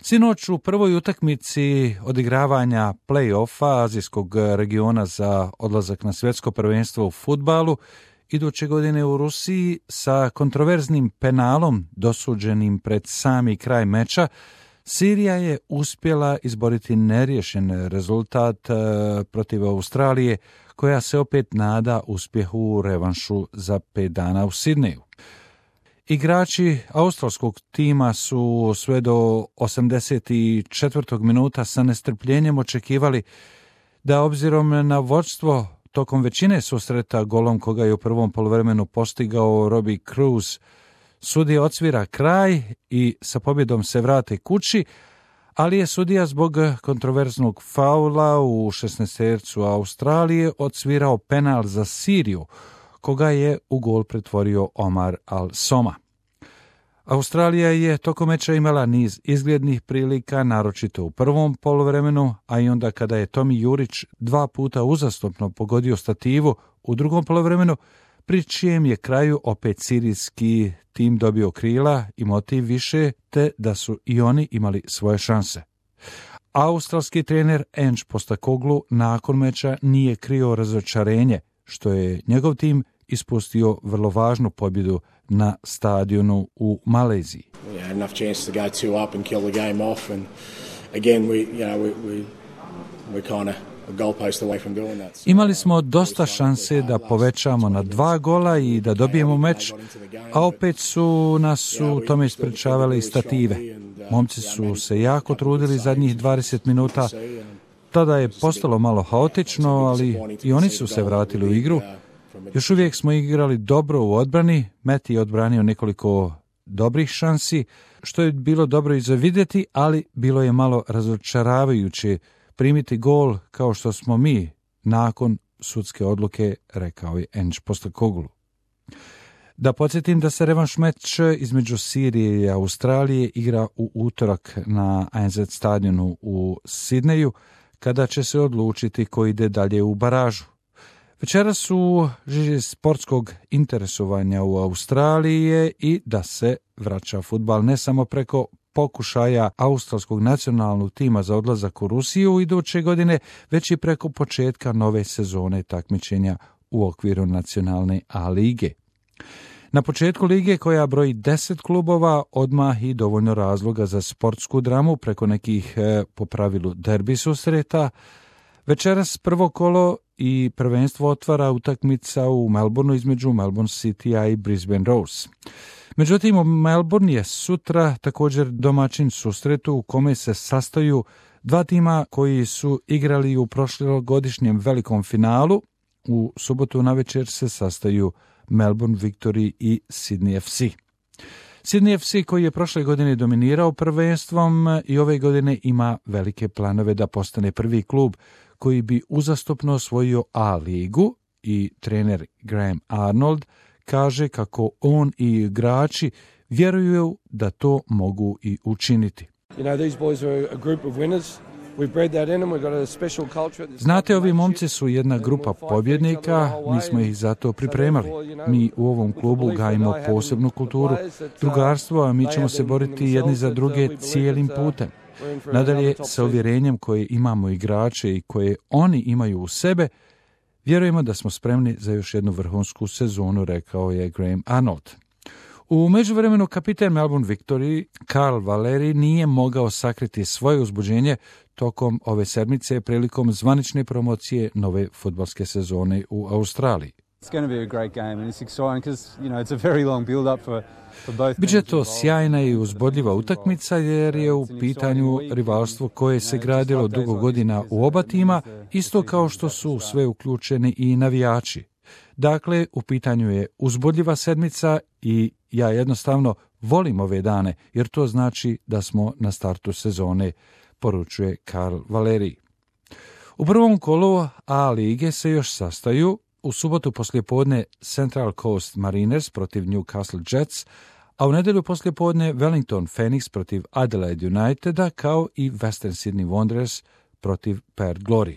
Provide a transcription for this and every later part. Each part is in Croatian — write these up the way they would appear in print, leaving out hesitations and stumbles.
Sinoć u prvoj utakmici odigravanja play-offa azijskog regiona za odlazak na svjetsko prvenstvo u fudbalu iduće godine u Rusiji sa kontroverznim penalom dosuđenim pred sami kraj meča, Sirija je uspjela izboriti neriješen rezultat protiv Australije, koja se opet nada uspjehu u revanšu za 5 dana u Sidneju. Igrači australskog tima su sve do 84. minuta sa nestrpljenjem očekivali da obzirom na vodstvo tokom većine susreta golom koga je u prvom poluvremenu postigao Robbie Kruse, sudija odsvira kraj i sa pobjedom se vrate kući, ali je sudija zbog kontroverznog faula u 16-tercu Australije odsvirao penal za Siriju, koga je u gol pretvorio Omar Al-Soma. Australija je tokom meča imala niz izglednih prilika, naročito u prvom poluvremenu, a i onda kada je Tomi Jurić 2 puta uzastopno pogodio stativu u drugom poluvremenu, pri čijem je kraju opet sirijski tim dobio krila i motiv više, te da su i oni imali svoje šanse. Australski trener Ange Postecoglou nakon meča nije krio razočarenje, što je njegov tim ispustio vrlo važnu pobjedu na stadionu u Maleziji. Enough chance to go 2 up and kill the game off, and again we kind of a goalpost away from doing that. Imali smo dosta šanse da povećamo na 2 gola i da dobijemo meč, a opet su nas u tome isprečavale i stative. Momci su se jako trudili zadnjih 20 minuta, tada je postalo malo haotično, ali i oni su se vratili u igru. Još uvijek smo igrali dobro u odbrani, Matt je odbranio nekoliko dobrih šansi, što je bilo dobro i za vidjeti, ali bilo je malo razočaravajuće primiti gol kao što smo mi nakon sudske odluke, rekao je Ange Postecoglou. Da podsjetim da se revanš meč između Sirije i Australije igra u utorak na ANZ stadionu u Sidneju, kada će se odlučiti ko ide dalje u baražu. Večeras su žiži sportskog interesovanja u Australiji je i da se vraća fudbal ne samo preko pokušaja australskog nacionalnog tima za odlazak u Rusiju iduće godine, već i preko početka nove sezone takmičenja u okviru nacionalne A lige. Na početku lige, koja broji 10 klubova, odmah i dovoljno razloga za sportsku dramu preko nekih po pravilu derbi susreta. Večeras prvo kolo i prvenstvo otvara utakmica u Melbourneu između Melbourne Citya i Brisbane Roars. Međutim, Melbourne je sutra također domaćin susretu u kome se sastaju 2 tima koji su igrali u prošlogodišnjem velikom finalu. U subotu navečer se sastaju Melbourne Victory i Sydney FC. Sydney FC, koji je prošle godine dominirao prvenstvom i ove godine ima velike planove da postane prvi klub koji bi uzastopno osvojio A ligu, i trener Graham Arnold kaže kako on i igrači vjeruju da to mogu i učiniti. Znate, ovi momci su jedna grupa pobjednika, mi smo ih zato pripremali. Mi u ovom klubu gajimo posebnu kulturu, drugarstvo, a mi ćemo se boriti jedni za druge cijelim putem. Nadalje, sa uvjerenjem koje imamo igrače i koje oni imaju u sebe, vjerujemo da smo spremni za još jednu vrhunsku sezonu, rekao je Graham Arnold. U međuvremenu kapiten Melbourne Victory, Carl Valeri, nije mogao sakriti svoje uzbuđenje tokom ove sedmice prilikom zvanične promocije nove fudbalske sezone u Australiji. Biće to sjajna i uzbudljiva utakmica jer je u pitanju rivalstvo koje se gradilo dugo godina u oba tima, isto kao što su sve uključeni i navijači. Dakle, u pitanju je uzbudljiva sedmica i ja jednostavno volim ove dane, jer to znači da smo na startu sezone, poručuje Carl Valeri. U prvom kolu A lige se još sastaju u subotu poslijepodne Central Coast Mariners protiv Newcastle Jets, a u nedjelju poslijepodne Wellington Phoenix protiv Adelaide Uniteda, kao i Western Sydney Wanderers protiv Perth Glory.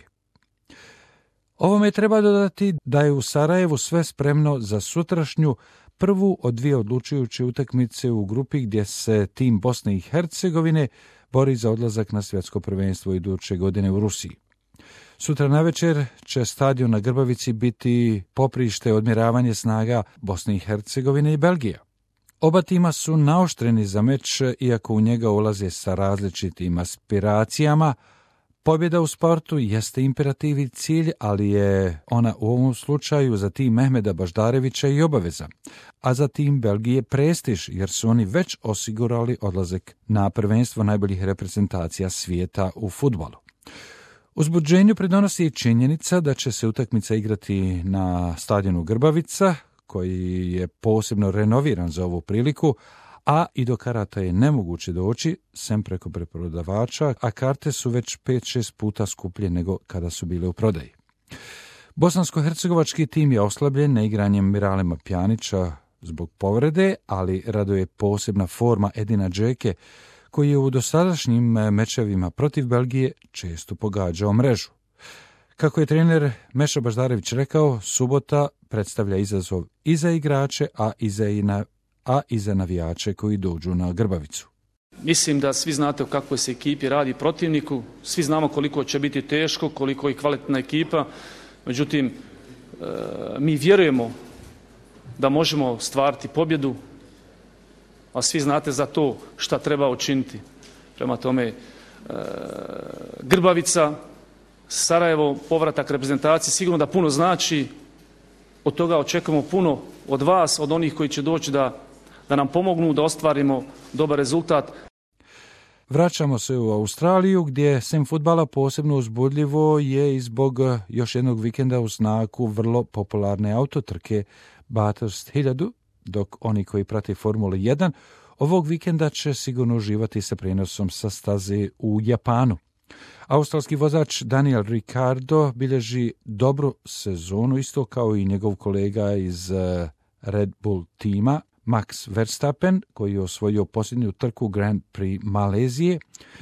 Ovome treba dodati da je u Sarajevu sve spremno za sutrašnju prvu od 2 odlučujuće utakmice u grupi gdje se tim Bosne i Hercegovine bori za odlazak na svjetsko prvenstvo iduće godine u Rusiji. Sutra navečer će stadion na Grbavici biti poprište odmjeravanje snaga Bosne i Hercegovine i Belgije. Oba tima su naoštreni za meč, iako u njega ulaze sa različitim aspiracijama. Pobjeda u sportu jeste imperativ i cilj, ali je ona u ovom slučaju za tim Mehmeda Baždarevića i obaveza, a za tim Belgije prestiž, jer su oni već osigurali odlazak na prvenstvo najboljih reprezentacija svijeta u fudbalu. Uzbuđenju pridonosi i činjenica da će se utakmica igrati na stadionu Grbavica, koji je posebno renoviran za ovu priliku, a i do karata je nemoguće doći, sem preko preprodavača, a karte su već 5-6 puta skuplje nego kada su bile u prodaji. Bosansko-hercegovački tim je oslabljen neigranjem Miralema Pjanića zbog povrede, ali raduje posebna forma Edina Džeke, koji je u dosadašnjim mečevima protiv Belgije često pogađao mrežu. Kako je trener Meša Baždarević rekao, subota predstavlja izazov i za igrače, a i za navijače koji dođu na Grbavicu. Mislim da svi znate o kakvoj se ekipi radi protivniku, svi znamo koliko će biti teško, koliko je kvalitetna ekipa, međutim, mi vjerujemo da možemo stvariti pobjedu, a svi znate za to šta treba učiniti. Prema tome, Grbavica, Sarajevo, povratak reprezentacije sigurno da puno znači. Od toga očekujemo puno od vas, od onih koji će doći da nam pomognu da ostvarimo dobar rezultat. Vraćamo se u Australiju, gdje sem fudbala posebno uzbudljivo je i zbog još jednog vikenda u znaku vrlo popularne autotrke Bathurst 1000, dok oni koji prate Formulu 1 ovog vikenda će sigurno uživati sa prenosom sa staze u Japanu. Australski vozač Daniel Ricciardo bilježi dobru sezonu, isto kao i njegov kolega iz Red Bull tima, Max Verstappen, koji je osvojio posljednju trku Grand Prix Malezije,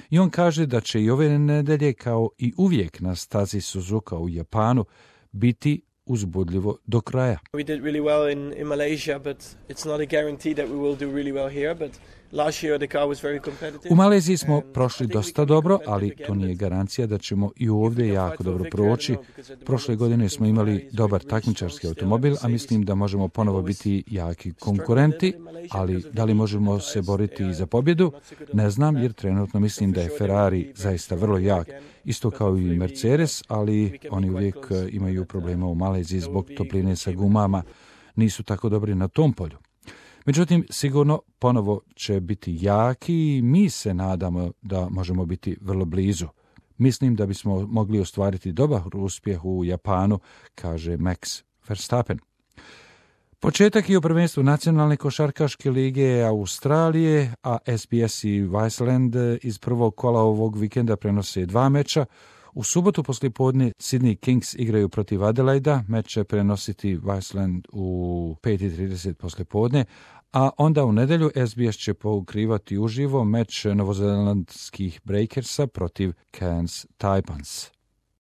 i on kaže da će i ove nedelje, kao i uvijek na stazi Suzuka u Japanu, biti uzbudljivo do kraja. We did really well in Malaysia, but it's not a guarantee that we will do really well here, but last year the car was very competitive. U Maleziji smo prošli dosta dobro, ali to nije garancija da ćemo i ovdje jako dobro proći. Prošle godine smo imali dobar takmičarski automobil, a mislim da možemo ponovo biti jaki konkurenti, ali da li možemo se boriti i za pobjedu? Ne znam, jer trenutno mislim da je Ferrari zaista vrlo jak, isto kao i Mercedes, ali oni uvijek imaju problema u Maleziji zbog topline sa gumama, nisu tako dobri na tom polju. Međutim, sigurno ponovo će biti jaki i mi se nadamo da možemo biti vrlo blizu. Mislim da bismo mogli ostvariti dobar uspjeh u Japanu, kaže Max Verstappen. Početak je u prvenstvu nacionalne košarkaške lige Australije, a SBS i Viceland iz prvog kola ovog vikenda prenose 2 meča. U subotu poslijepodne Sydney Kings igraju protiv Adelaida, meč će prenositi Viceland u 5:30 poslijepodne, a onda u nedjelju SBS će pokrivati uživo meč novozelandskih Breakersa protiv Cairns Taipans.